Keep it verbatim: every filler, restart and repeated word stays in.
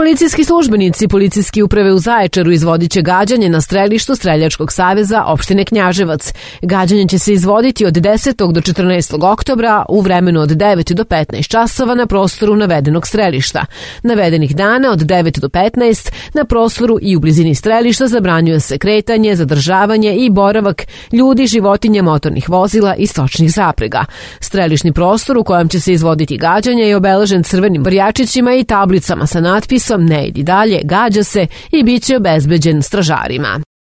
Policijski službenici Policijske uprave u Zaječaru izvodit će gađanje na strelištu Streljačkog saveza opštine Knjaževac. Gađanje će se izvoditi od desetog do četrnaestog oktobra u vremenu od devet do petnaest časova na prostoru navedenog strelišta. Navedenih dana od devet do petnaest na prostoru i u blizini strelišta zabranjuje se kretanje, zadržavanje i boravak ljudi, životinja, motornih vozila i stočnih zaprega. Strelišni prostor u kojem će se izvoditi gađanje je obeležen crvenim brjačićima i tablicama sa natpisom "Ne idi dalje, gađa se" i bit će obezbeđen stražarima.